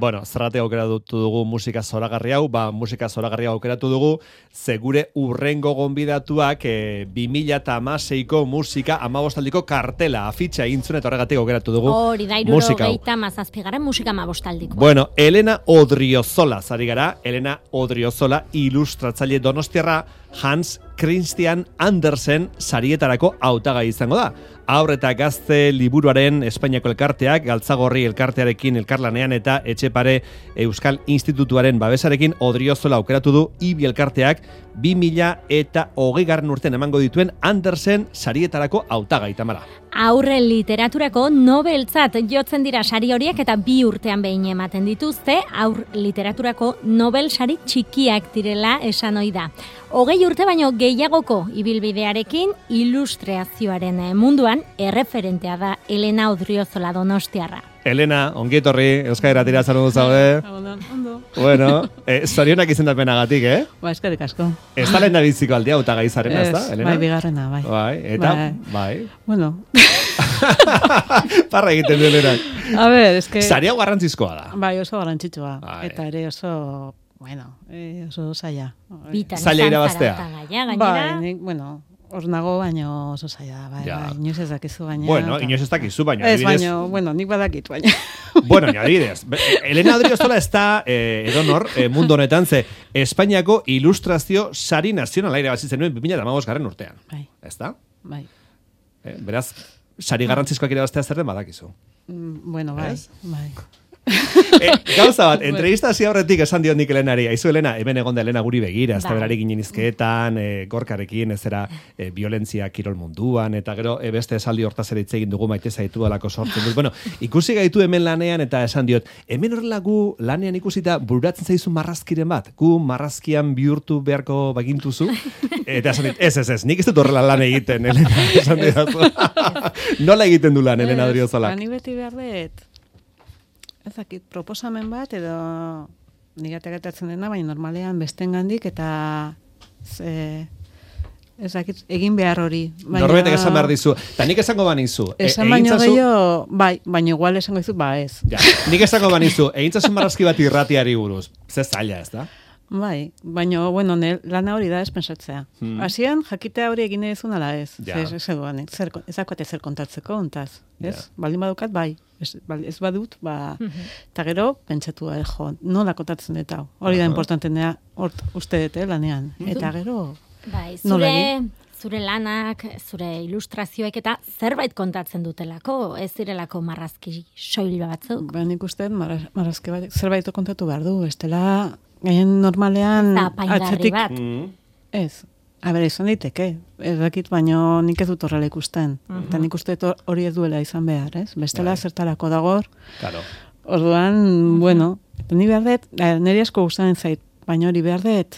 bueno, zerratik aukeratu dugu musika zoragarri hau, musika zoragarri aukeratu dugu, segure urrengo gonbidatuak 2016ko musika 15aldiko kartela, afitxa egin zuen, eta horregatik aukeratu dugu hori da, musika hau. 77 musika 15aldiko. Bueno, Elena Odriozola, zari gara, Elena Odriozola, ilustratzaile donostiarra, Hans Christian Andersen sarietarako hautagai izango da. Haur eta gazte liburuaren Espainiako elkarteak, Galtzagorri elkartearekin elkarlanean eta Etxepare Euskal Institutuaren babesarekin Odriozola aukeratu du Ibi elkarteak 2020 urtean emango dituen Andersen sarietarako hautagai, Tamara. Aurre literaturako nobeltzat jotzen dira sari horiek eta 2 urtean behin ematen dituzte, aur literaturako nobel sari txikiak direla esan ohi da. 20 urte baino gehiagoko ibilbidearekin ilustrazioaren munduan erreferentea da Elena Odriozola donostiarra. Elena, ongi etorri, Euskal Irratira saludu zaude. Ondo. Bueno, zorionak izendapenagatik, Ba, eskerrik asko. Ez da lehen da biziko aldea hautagai zarena, ez da, Elena? Bai, bigarrena, bai. Bai, eta, bai. Bueno. Parra egiten du, Elena. A ver, es que... Sari hau garrantzizkoa da. Bai, oso garrantzitsua. Bai. Eta ere oso, bueno, oso zaila. Zaila irabaztea. Bai, bueno, hor nago, baino oso zaila, bai, Ja. bai, inoiz ez dakizu, baina... Bueno, inoiz ez dakizu, baina ez, baino, bueno, nik badakit, baina... Bueno, adibidez, Elena Odriozola ez da edonor mundu honetan, ze Espainiako ilustrazio sari nazionala irabazi zenuen 2015 urtean. Bai. Ez da? Bai. Beraz, sari garrantzizkoak irabaztea zer den badakizu. Bueno, bai, Ez? bai. Gauza bat, entrevista hasi aurretik esan diot nik Elenari, aizu Elena, hemen egon da Elena guri begira, ez da berari ginen izketan, gorkarekin, ez era violentzia kirol munduan, eta gero beste esaldi hortaz ere hitz egin dugu maite zaitu alako sortzen dut. Bueno, ikusi gaitu hemen lanean eta esan diot, hemen horrela gu lanean ikusita bururatzen zaizu marrazkiren bat, gu marrazkian bihurtu beharko bagintuzu, eta esan dit, ez, nik ez dut horrela lan egiten, Elena, esan dit. Nola egiten du lan, Elena Odriozola? Ni beti behar dut, ez dakit, proposamen bat, edo nigatek gertatzen dena, baina normalean bestengandik eta ez dakit, egin behar hori. Norbetek esan behar dizu. Ta nik esango banizu. Esan baino gehiago, bai, baina igual esango dizu, ba ez. Ja, nik esango banizu, egintzasun marrazki bat irratiari buruz. Ze zaila, ez da? Bai, baina, bueno, lana hori da ez pensatzea. Hasian jakitea hori egin ezun ala ez. Ja. Ez daukate zer kontatzeko, ontaz. Ez? Baldin badukat, bai. Ez badut, eta gero, pentsatu da, nola kontatzen dut hau. Hori da importantenea, uste dut, lanean. Eta gero, bai, nola egin? Zure lanak, zure ilustrazioek eta zerbait kontatzen dutelako, ez direlako marrazki soil batzuk. Ba, nik uste marrazki bat, zerbait kontatu behar du, estela, gaien normalean apaingarri bat. Ez. A ber, izan daiteke, ez dakit, baino nik ez dut horrela ikusten. Eta nik uste hori ez duela izan behar, ez? Bestela zertarako dagor. Claro. Orduan, bueno, ni behar dut, niri asko gustatzen zait, baina hori behar dut,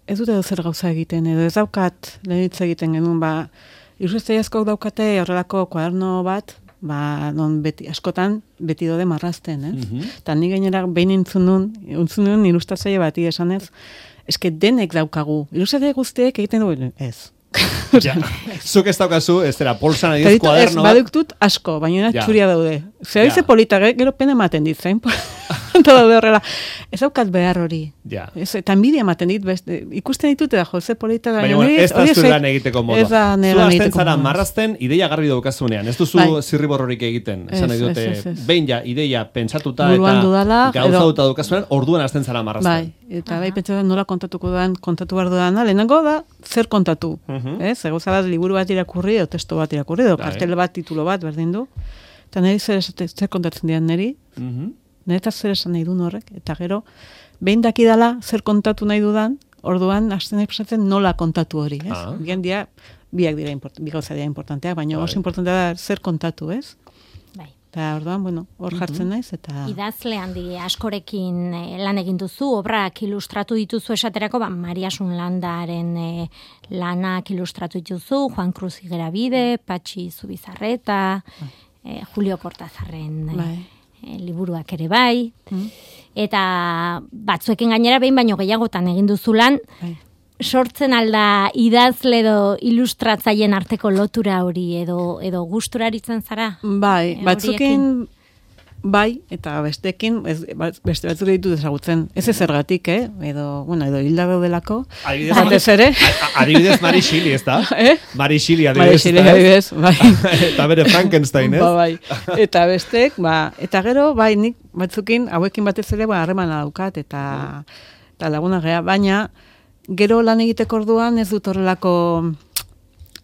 ez dute zer gauza egiten, edo ez daukat lehenitz egiten genuen, ilustrazio askok daukate horrelako kuaderno bat, non beti, askotan beti dode marrazten, ez? Eta ni gainera behin entzun nun ilustrazio bati esanez, eske denek daukagu. Ilustrazio guztiek egiten duen, ez. Ja, zuk ez daukazu, ez dira, polsan adiz kuaderno bat. Baduktut asko, baina txuria daude. Zer dize polita, gero pena ematen dit, zain? Daude horrela. Ez daukat behar hori. Ja. Eta enbidia ematen dit, ikusten ditut da, ze polita da. Baina, ez da zuen lan egiteko modu. Ez da nire lan egiteko modu. Zu zara marrazten, ideia garbi daukazunean. Ez duzu zirriborrorik egiten. Esan nahi dute, behin ja, ideia pentsatuta eta gauzauta daukazunean, orduan hasten zara marrazten. Bai, eta bai pentsatzen nola kontatu behar dudana, lehenengo da, zer kontatu. Ez, gauza bat, liburu bat irakurri, edo testo bat irakurri, edo kartel bat, titulo bat, berdin du. Eta niri zer kontatzen dian niri, nire zer esan nahi duen horrek, eta gero, behin dakidala zer kontatu nahi dudan, orduan, hasten nahi pasatzen nola kontatu hori, ez? Bien dia, bi gauza dira importanteak, baina oso importantea da zer kontatu, ez? Bai. Eta orduan, bueno, hor jartzen naiz, eta... Idazle handi askorekin lan egin duzu, obrak ilustratu dituzu esaterako, Mariasun Landaren lanak ilustratu dituzu, Juan Cruz Igerabide, Patxi Zubizarreta, Julio Cortazarren liburuak ere bai, eta batzuekin gainera behin baino gehiagotan egin duzu lan, sortzen alda idazle edo ilustratzaien arteko lotura hori edo gusturaritzen zara? Bai, batzukin bai, eta bestekin, beste batzuk ditut ezagutzen. Ez zergatik, edo hilda daudelako. Adibidez Mary Shelley, ez da? Mary Shelley, adibidez, bai. Eta bere Frankenstein, ez? Bai. Eta bestek, eta gero, bai, nik batzukin, hauekin batez ere, harremana daukat, eta laguna gea, baina, gero lan egiteko orduan ez dut horrelako,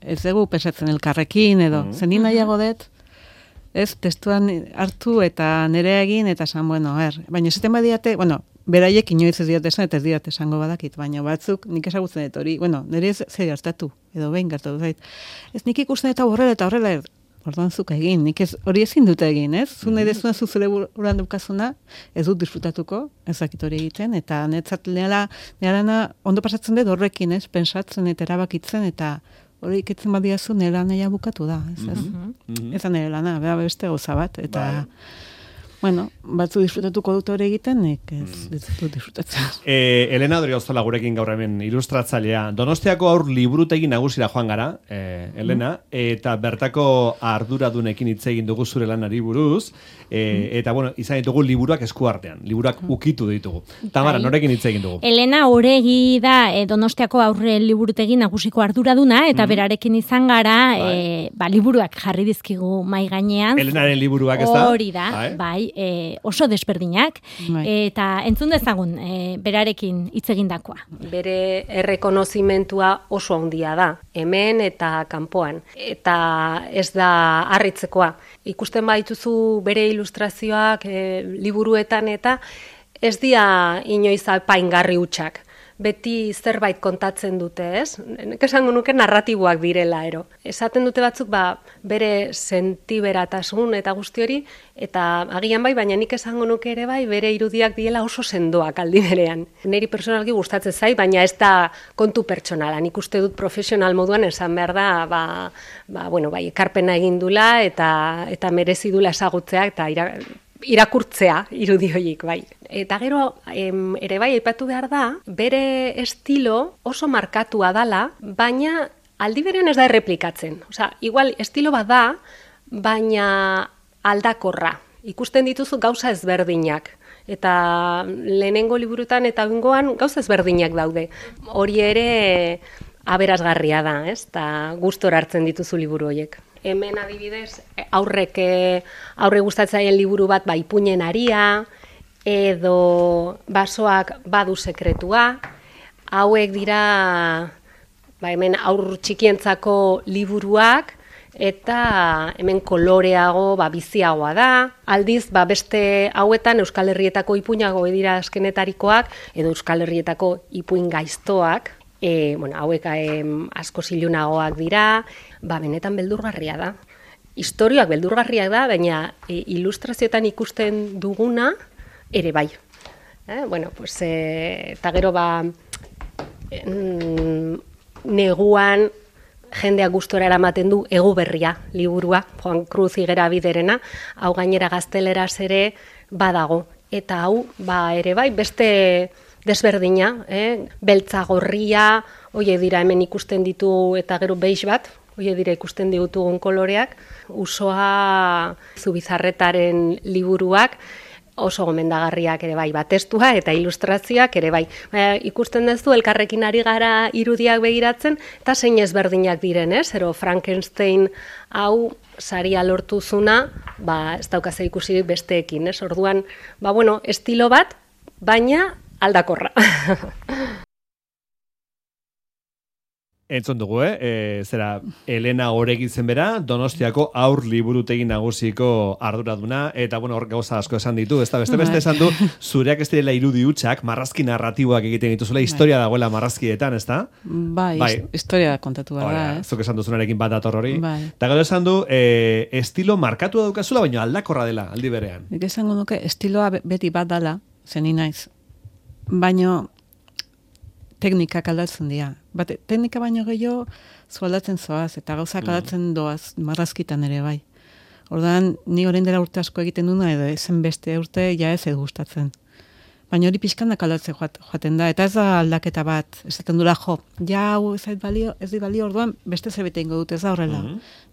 ez dugu pesatzen elkarrekin, edo, zenin nahiago dut, ez, testuan hartu eta nire egin, eta esan, baina esaten badiate, beraiek inoiz ez diate esan, eta ez diate esango badakit, baina batzuk nik ezagutzen dut hori, nire ez zer hartatu, edo behin gertatu zait. Ez nik ikusten eta horrela, orduan zuk egin, nik hori ezin dute egin, ez? Zu nahi dezuna zu zure buruan dukazuna, ez dut disfrutatuko, ezakit hori egiten, eta netzat nirana ondo pasatzen dut horrekin, ez? Pensatzen eta erabakitzen, eta hori iketzen badiazu nire naia bukatu da, ez? Ez da nire lana, beste gauza bat, eta... batzu disfrutatuko dut hori egiten, nik ez dut disfrutatzen. Elena Odriozola gurekin gaur hemen ilustratzailea. Donostiako aur liburutegi nagusira joan gara, Elena, eta bertako arduradunekin hitz egin dugu zure lanari buruz, eta izan ditugu liburuak eskuartean, liburuak ukitu ditugu. Tamara, norekin hitz egin dugu? Elena Oregi da Donostiako aurre liburutegi nagusiko arduraduna, eta berarekin izan gara, liburuak jarri dizkigu mai gainean. Elenaren liburuak, ez da? Hori da, bai. Oso desberdinak, eta entzun dezagun berarekin hitz egindakoa. Bere errekonozimentua oso handia da, hemen eta kanpoan, eta ez da harritzekoa. Ikusten badituzu bere ilustrazioak liburuetan eta ez dira inoiz apaingarri hutsak. Beti zerbait kontatzen dute, ez? Nik esango nuke narratiboak direla, Esaten dute batzuk, bere sentiberatasun eta guzti hori, eta agian bai, baina nik esango nuke ere bai, bere irudiak diela oso sendoak aldi berean. Neri personalki gustatzen zait, baina ez da kontu pertsonala. Nik uste dut profesional moduan esan behar da, ekarpena egin dula eta merezi dula ezagutzea eta irakurtzea irudi horiek, bai. Eta gero, ere bai, aipatu behar da, bere estilo oso markatua dala, baina aldi berean ez da erreplikatzen. Osea, igual estilo bat da, baina aldakorra. Ikusten dituzu gauza ezberdinak. Eta lehenengo liburutan eta bengoan gauza ezberdinak daude. Hori ere aberasgarria da, ez? Eta gustora hartzen dituzu liburu horiek. Hemen adibidez, aurre gustatzaien liburu bat ipuinen aria, edo basoak badu sekretua. Hauek dira hemen aur txikientzako liburuak, eta hemen koloreago, biziagoa da. Aldiz, beste hauetan Euskal Herrietako ipuinago dira azkenetarikoak, edo Euskal Herrietako ipuin gaiztoak. Hauek asko zilunagoak dira, benetan beldurgarria da. Historioak beldurgarriak da, baina ilustrazioetan ikusten duguna ere bai. Eta gero neguan jendeak gustora eramaten du Ego Berria liburua, Juan Cruz Higuerabiderena, hau gainera gazteleraz ere badago. Eta hau ere bai beste desberdina, beltza gorria, hoie dira hemen ikusten ditu eta gero beige bat, hoie dira ikusten ditugun koloreak, Usoa Zubizarretaren liburuak, oso gomendagarriak ere bai, testua eta ilustrazioak ere bai. Ikusten duzu elkarrekin ari gara irudiak begiratzen, eta zein ezberdinak diren, Zero Frankenstein hau saria lortuzuna, ez daukaze ikusirik besteekin, Orduan, estilo bat, baina aldakorra. Entzun dugu, zera Elena Oregi zen bera, Donostiako aur liburutegi nagusiko arduraduna, eta hor gauza asko esan ditu, ez da beste esan du, zureak ez direla irudi hutsak, marrazki narratiboak egiten dituzula, historia dagoela marrazkietan, ez da? Bai, historia kontatu da. Zuk esan duzunarekin bat dator hori. Eta gero esan du, estilo markatu daukazula, baina aldakorra dela, aldi berean. Nik esango nuke, estiloa beti bat dala, zeni naiz. Baina teknikak aldatzen dira. Teknika baino gehiago aldatzen zoaz, eta gauzak aldatzen doaz, marrazkitan ere bai. Ordan ni orain dela urte asko egiten duna, edo ezen beste urte ja ez gustatzen. Baina hori pixkandak aldatzen joaten da, eta ez da aldaketa bat, esaten dula hau ez di balio, orduan beste zerbait ingo dut, ez da horrela.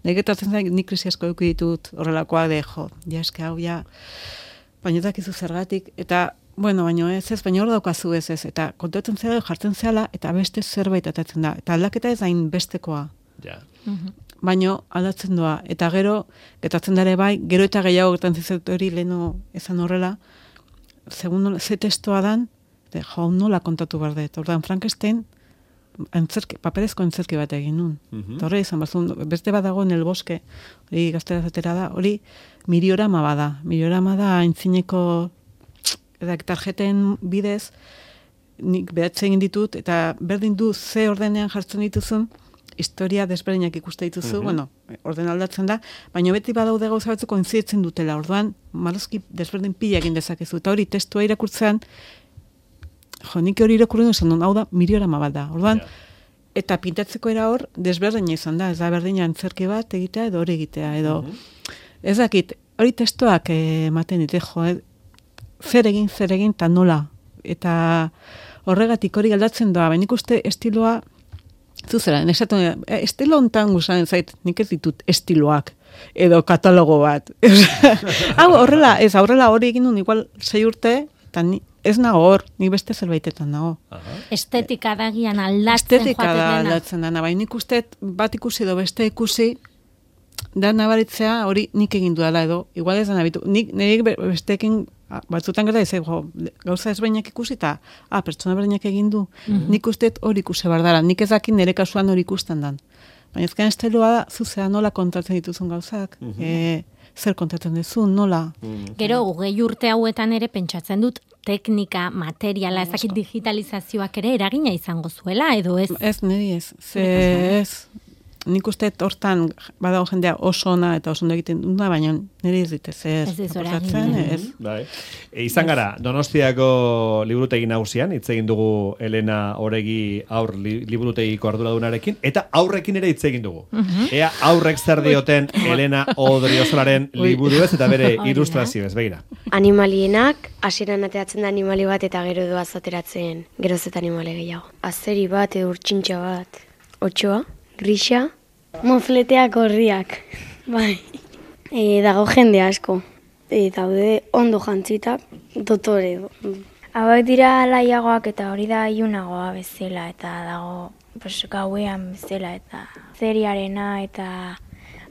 Negetatzen zain, nik krisi asko eduki ditut horrelakoa de hau baina ez dakizu zergatik, eta, bueno, baina baina hor daukazu ez, eta kontatzen zera jartzen zehala, eta beste zerbait atatzen da, eta aldaketa ez hain bestekoa. Ja. Baino aldatzen doa, eta gero, getatzen dara bai, gero eta gehiago gertatzen zait hori leheno ezan horrela, segun ze testoa dan, jau nola kontatu behar dut. Ordan Frankenstein, paperezko antzerki bat egin nun. Eta horre izan bazun, beste bat dago en el bosque, hori gaztera zatera da, hori miriorama bada. Miriorama da aintzineko tarjeten bidez, nik behatzen egin ditut, eta berdin du ze ordenean jartzen dituzun, historia desberdinak ikuste dituzu, bueno, orden aldatzen da, baina beti badaude gauza batzuk koinziditzen dutela, orduan, marrazki desberdin pila egin dezakezu, eta hori testua irakurtzean, nik hori irakurren esan duen, hau da, miriorama bat da, orduan, eta pintatzeko era hor, desberdina izan da, ez da berdina antzerki bat egitea, edo hori egitea, edo, ez dakit, hori testuak ematen dite, zer egin, eta nola, eta horregatik hori aldatzen doa, baina ikuste estiloa, zuzera, estilo hontan guzaren zait, nik ez ditut estiloak, edo katalogo bat. Hau, horrela hori egin duen, igual 6 urte, eta ez nago hor, nik beste zerbaitetan nago. Estetika dagian aldatzen joaten dena. Estetika da aldatzen dena, baina nik uste bat ikusi edo beste ikusi, da nabaritzea hori nik egin dudala edo, igual ez da nabitu. Nik besteekin batzutan gara ez, gauza ezberdinak ikusi eta pertsona berdinak egin du. Nik uste hori ikusi bardara, nik ez dakin nire kasuan hori ikusten dan. Baina ezken estiloa da, zuzea nola kontatzen dituzun gauzak, zer kontatzen duzun, nola. Gero, 20 urte hauetan ere pentsatzen dut, teknika, materiala, ezakit digitalizazioak ere eragina izango zuela, edo ez? Ez, niri ez. Nik uste hortan badago jendea oso ona eta oso ondo egiten duna, baina niri ez ditez ez. Bai. Izan gara, Donostiako liburutegi nagusian, hitz egin dugu Elena Oregi aur liburutegiko arduradunarekin, eta aurrekin ere hitz egin dugu. Ea aurrek zer dioten Elena Odriozolaren liburu ez eta bere ilustrazio ez, begira. Animalienak, hasieran ateatzen da animali bat eta gero doaz ateratzen geroz eta animale gehiago. Azeri bat, edo urtsintxa bat, otxoa, grisa, mofleteak horriak, bai. Dago jende asko, daude ondo jantzitak, dotore. Hauek dira laiagoak eta hori da ilunagoa bezala, eta dago gauean bezala, eta zeriarena eta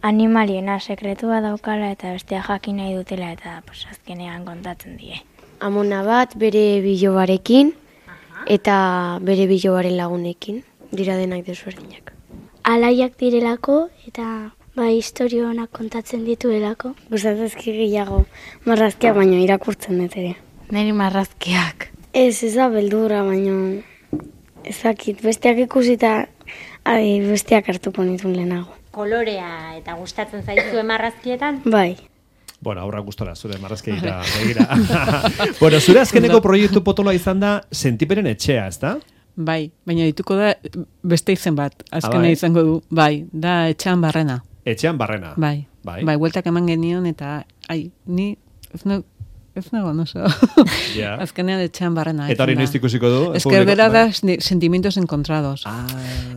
animaliena sekretua daukala, eta bestea jakin nahi dutela, eta azkenean kontatzen die. Amona bat bere bilobarekin, eta bere bilobaren lagunekin, dira denak desberdinak. Alaiak direlako eta historio honak kontatzen dituelako. Gustatazki gehiago marrazkiak, baina irakurtzen dut ere. Neri marrazkiak. Ez da beldurra, baina ezakit. Besteak ikusita besteak hartuko nituen lehenago. Kolorea eta gustatzen zaizue marrazkietan? Bai. Bueno, aurra gustora, zure marrazkeira begira. Bueno, zure azkeneko proiektu potoloa izan da Sentiperen etxea, ez da? Bai, baina dituko da beste izen bat, azkena izango du, bai, da Etxean Barrena. Etxean Barrena? Bai, bueltak eman genion eta, ni ez nago, no so. Azkenean Etxean Barrena. Eta hori noiz ikusiko du? Eskerdera da sentimientos encontrados.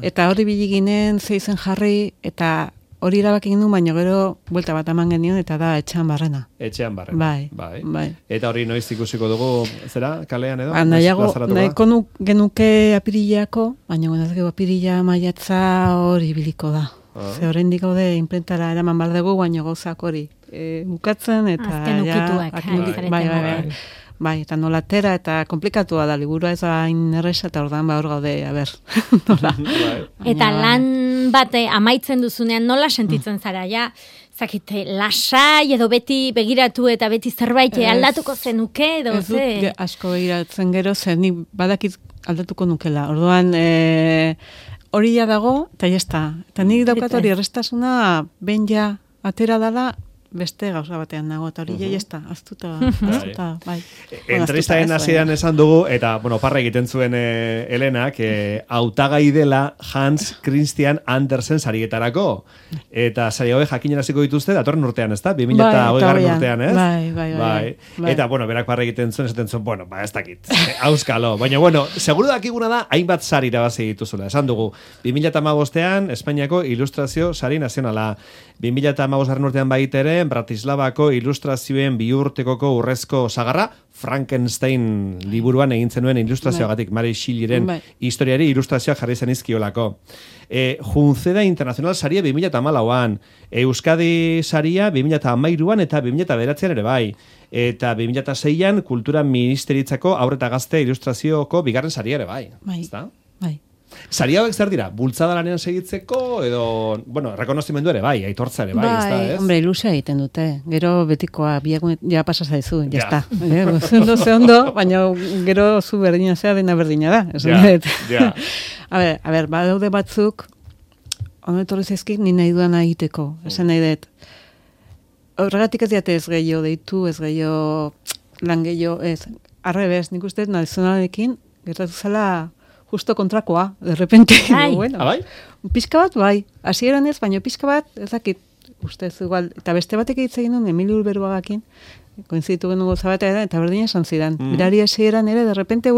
Eta hori biliginen zeizen jarri, eta hori erabak egin du, baina gero buelta bat eman genion, eta da Etxean Barrena. Etxean Barrena. Bai. Eta hori noiz ikusiko dugu, zera, kalean edo? Nahiko genuke apirilako, baina gona gero apirila maiatza hori biliko da. Ze horrendik gaude imprentara eraman bar dugu, baina gauzak hori bukatzen, eta azken ukituak. Bai, eta nolatera, eta komplikatua da, liburua ez hain erresa, eta ordan hor gaude, nola. Eta lan bate amaitzen duzunean nola sentitzen zara, zakite, lasai edo beti begiratu eta beti zerbait aldatuko zenuke, edo ez dut asko begiratzen gero, zer ni badakit aldatuko nukela. Orduan, hori dago, eta jazta. Eta nik daukat hori errestasuna, ben atera dala, beste gauza batean nago, eta hori jazta, aztuta, bai. Entrevistaren hasieran esan dugu, eta, parra egiten zuen Elenak, hautagai dela Hans Christian Andersen sarietarako. Eta sari hauek jakineraziko dituzte, datorren urtean, ez da? 2020 urtean, ez? Bai. Eta, berak parra egiten zuen, esaten zuen, ez dakit, auskalo. Baina, seguru dakiguna da, hainbat sari irabazi dituzula. Esan dugu, 2015ean, Espainiako Ilustrazio Sari Nazionala. 2015 urtean baitere, zuen Bratislavako ilustrazioen biurtekoko urrezko sagarra, Frankenstein liburuan egin zenuen ilustrazioagatik, Mary Shelleyren historiari ilustrazioak jarri zen izkiolako. Junceda Internacional saria 2014an, Euskadi saria 2013an eta 2009an ere bai. Eta 2006an Kultura Ministeritzako Haur eta Gazte Ilustrazioko bigarren saria ere bai. Bai. Sari hauek zer dira? Bultzada lanean segitzeko edo, bueno, rekonozimendu ere bai, aitortza ere bai, ez? Hombre, ilusia egiten dute. Gero betikoa, ja pasa zaizu, ja está. Ondo, baina gero zu berdina zea dena berdina da. Ja. A ber, badaude batzuk, ondo etorri zaizkik, ni nahi duan egiteko, esan nahi dut. Horregatik ez diate ez gehiago deitu, ez gehiago lan gehiago, ez. Arrebez, nik uste nazionalekin, gertatu zela justo kontrakoa, de repente. Bueno, bai? Pizka bat, bai. Hasieran ez, baina pizka bat, ez dakit, ustez, igual, eta beste batek hitz egin duen, Emilio Urberuagakin, koinzitu genuen goza bat, eta berdina esan zidan. Berari hasieran ere, de repente,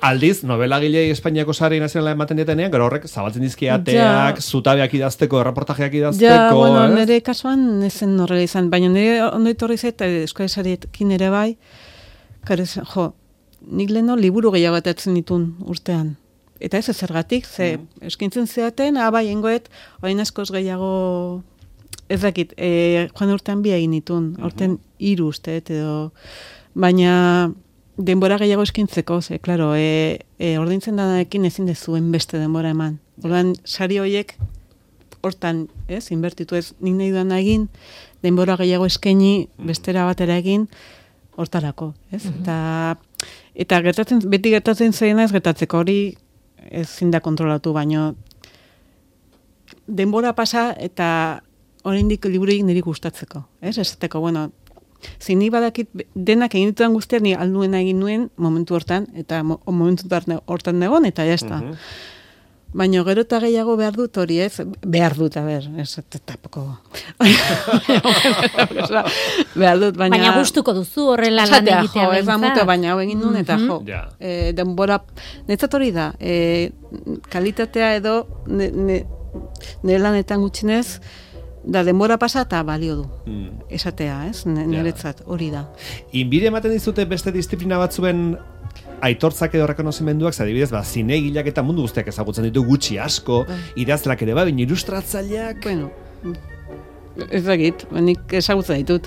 aldiz, novelagilei Espainiako sari nazionala ematen dietenean, gero horrek zabaltzen dizkiateak, zutabeak idazteko, reportajeak idazteko. Ja, bueno, nire kasuan ezen horrela izan, baina nire ondo etorri zait, eskola sariekin ere bai, nik leheno liburu gehiago batatzen ditun urtean. Eta ez zergatik, ze eskintzen zeaten, bai, engoet, orain askoz gehiago, ez dakit, joan urtean bi egin ditun, urtean 3 uste, edo, baina denbora gehiago eskintzeko, ze, klaro, ordaintzen danarekin ezin dezuen beste denbora eman. Ordan sari horiek, hortan, ez, inbertitu ez, nik nahi duan egin, denbora gehiago eskaini, bestera batera egin, hortarako, ez? Eta beti gertatzen zaina ez gertatzeko hori ezin da kontrolatu, baino denbora pasa eta oraindik libururik niri gustatzeko, ez? Esateko, bueno, zini badakit denak egin dituan guztiak ni alduena egin nuen momentu hortan, eta momentu hortan negon, eta jazta. Baina gero eta gehiago behar dut hori, ez? Behar dut, ez tapoko. Behar dut, baina gustuko duzu horrela lan egitea behintzat. Ez da mutu, baina hau egin duen, eta denbora, netzat hori da, kalitatea edo nire lanetan gutxinez, da denbora pasa eta balio du. Esatea, ez? Niretzat, hori da. Inbide ematen dizute beste disiplina batzuen aitortzak edo rekonozimenduak, adibidez, zinegileak eta mundu guztiak ezagutzen ditu gutxi asko, idazlak ere baina ilustratzaileak. Bueno, ez dakit, nik ezagutzen ditut.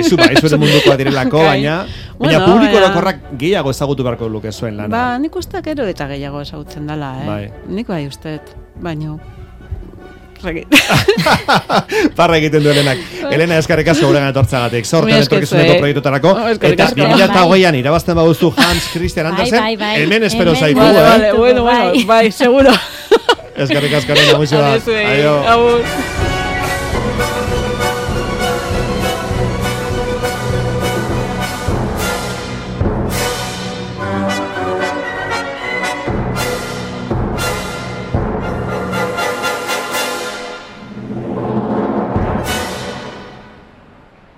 Zure mundukoa direlako, baina publiko orokorrak gehiago ezagutu beharko luke zuen lana. Nik usteak ero eta gehiago ezagutzen dela, Nik bai usteet, baino. Parra egiten du Elenak. Elena, eskarrik asko guregan etortzagatik. Sortean etorkizuneko proiektutarako. Eta 2008an irabazten baduzu Hans Christian Andersen, hemen espero zaitu. Bueno, seguro. Eskarrik asko, Elena, mucho da. Adio.